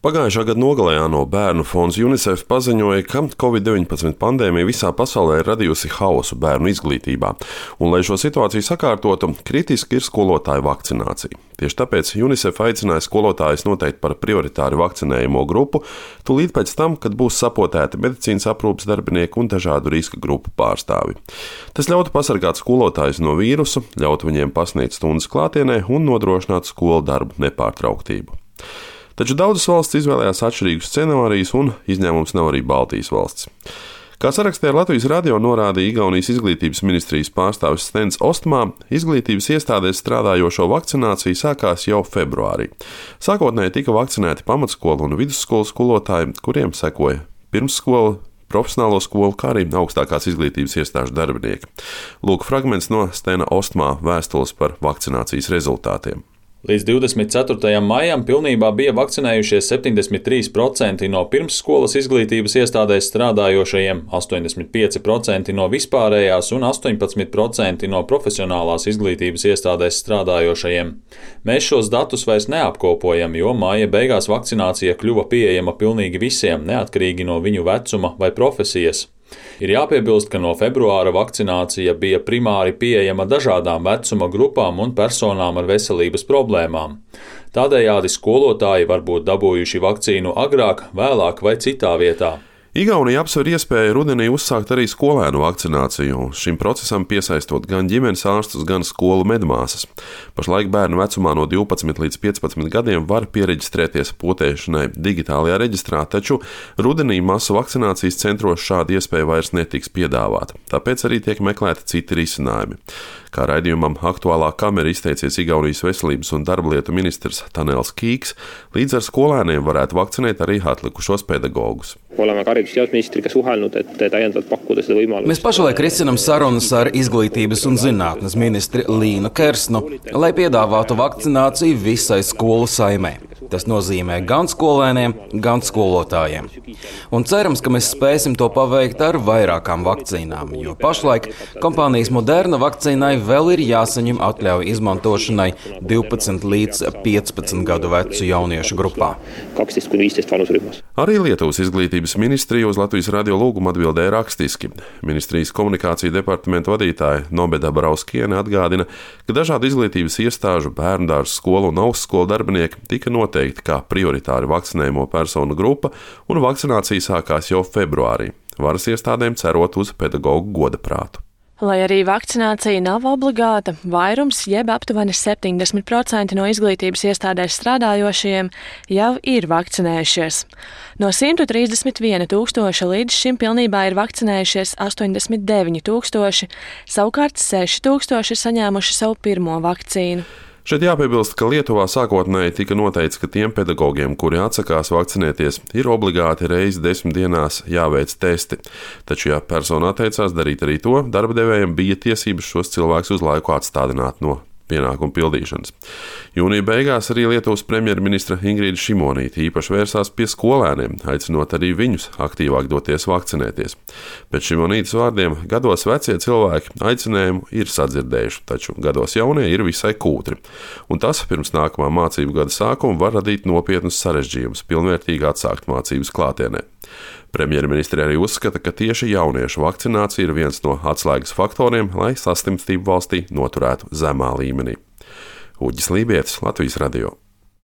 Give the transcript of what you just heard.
Pagājušā gada nogalē ANO bērnu fonds UNICEF paziņoja, ka Covid-19 pandēmija visā pasaulē ir radījusi haosu bērnu izglītībā, un, lai šo situāciju sakārtotu, kritiski ir skolotāju vakcinācija. Tieši tāpēc UNICEF aicināja skolotājus noteikt par prioritāru vakcinējumu grupu tūlīt pēc tam, kad būs sapotēti medicīnas aprūpes darbinieki un dažādu riska grupu pārstāvi. Tas ļautu pasargāt skolotājus no vīrusu, ļautu viņiem pasniegt stundas klātienē un nodrošināt skolu darbu nepārtrauktību. Taču daudzas valstis izvēlējās atšķirīgus scenārijus, un izņēmums nav arī Baltijas valsts. Kā sarakstā ar Latvijas radio norādīja Igaunijas izglītības ministrijas pārstāvis Stens Ostmā, izglītības iestādēs strādājošo vakcinācija sākās jau februārī. Sākotnēji tika vakcinēti pamatskolu un vidusskolas skolotāji, kuriem sekoja pirmsskola, profesionālo skolu, kā arī augstākās izglītības iestāžu darbinieki. Lūk fragments no Stena Ostmā vēstules par vakcinācijas rezultātiem. Līdz 24. maijam pilnībā bija vakcinējušies 73% no pirmsskolas izglītības iestādēs strādājošajiem, 85% no vispārējās un 18% no profesionālās izglītības iestādēs strādājošajiem. Mēs šos datus vairs neapkopojam, jo maija beigās vakcinācija kļuva pieejama pilnīgi visiem, neatkarīgi no viņu vecuma vai profesijas. Ir jāpiebilst, ka no februāra vakcinācija bija primāri pieejama dažādām vecuma grupām un personām ar veselības problēmām. Tādējādi skolotāji var būt dabūjuši vakcīnu agrāk, vēlāk vai citā vietā. Igaunija apsver iespēju rudenī uzsākt arī skolēnu vakcināciju, šim procesam piesaistot gan ģimenes ārstus, gan skolu medmāsas. Pašlaik bērnu vecumā no 12 līdz 15 gadiem var piereģistrēties potēšanai digitālajā reģistrā, taču rudenī masu vakcinācijas centros šāda iespēja vairs netiks piedāvāta, tāpēc arī tiek meklēti citi risinājumi. Kā raidījumam Aktuālā kamera izteicies Igaunijas veselības un darba lietu ministrs Tanels Kīks, līdz ar skolēniem varētu vakcinēt arī atlikušos pedagogus. Oleme haridus- ja teadusministriga suhelnud, et täiendavalt pakkuda seda võimalust. Mēs pašlaik risinām sarunas ar izglītības un zinātnes ministri Līnu Kersnu, lai piedāvātu vakcināciju visai skolu saimē. Tas nozīmē gan skolēniem, gan skolotājiem. Un cerams, ka mēs spēsim to paveikt ar vairākām vakcīnām, jo pašlaik kompānijas Moderna vakcīnai vēl ir jāsaņem atļauja izmantošanai 12 līdz 15 gadu vecu jauniešu grupā. 12–15 vanusrühmas. Arī Lietuvas izglītības ministrija uz Latvijas radio lūgumu atbildēja rakstiski. Ministrijas komunikācija departamenta vadītāja Nobeda Brauskiene atgādina, ka dažādu izglītības iestāžu, bērndārzu, skolu un augstskolu darbinieki tika noteikti kā prioritāri vakcinējumu personu grupa, un vakcinācija sākās jau februārī, varas iestādēm cerot uz pedagogu godaprātu. Lai arī vakcinācija nav obligāta, vairums, jeb aptuveni 70% no izglītības iestādēs strādājošiem jau ir vakcinējušies. No 131 000 līdz šim pilnībā ir vakcinējušies 89 000, savukārt 6 000 ir saņēmuši savu pirmo vakcīnu. Šeit jāpiebilst, ka Lietuvā sākotnēji tika noteikts, ka tiem pedagogiem, kuri atsakās vakcinēties, ir obligāti reizi 10 dienās jāveic testi. Taču, ja persona atteicās darīt arī to, darba devējiem bija tiesības šos cilvēkus uz laiku atstādināt no pienākumu pildīšanas. Jūnija beigās arī Lietuvas premjerministra Ingrīda Šimonīte īpaši vērsās pie skolēniem, aicinot arī viņus aktīvāk doties vakcinēties. Pēc Šimonītes vārdiem, gados vecie cilvēki aicinājumu ir sadzirdējuši, taču gados jaunie ir visai kūtri. Un tas pirms nākamā mācību gada sākuma var radīt nopietnus sarežģījumus pilnvērtīgi atsākt mācības klātienē. Premjerministre arī uzskata, ka tieši jauniešu vakcinācija ir viens no atslēgas faktoriem, lai saslimstību valstī noturētu zemā līmenī. Uģis Lībietis, Latvijas radio.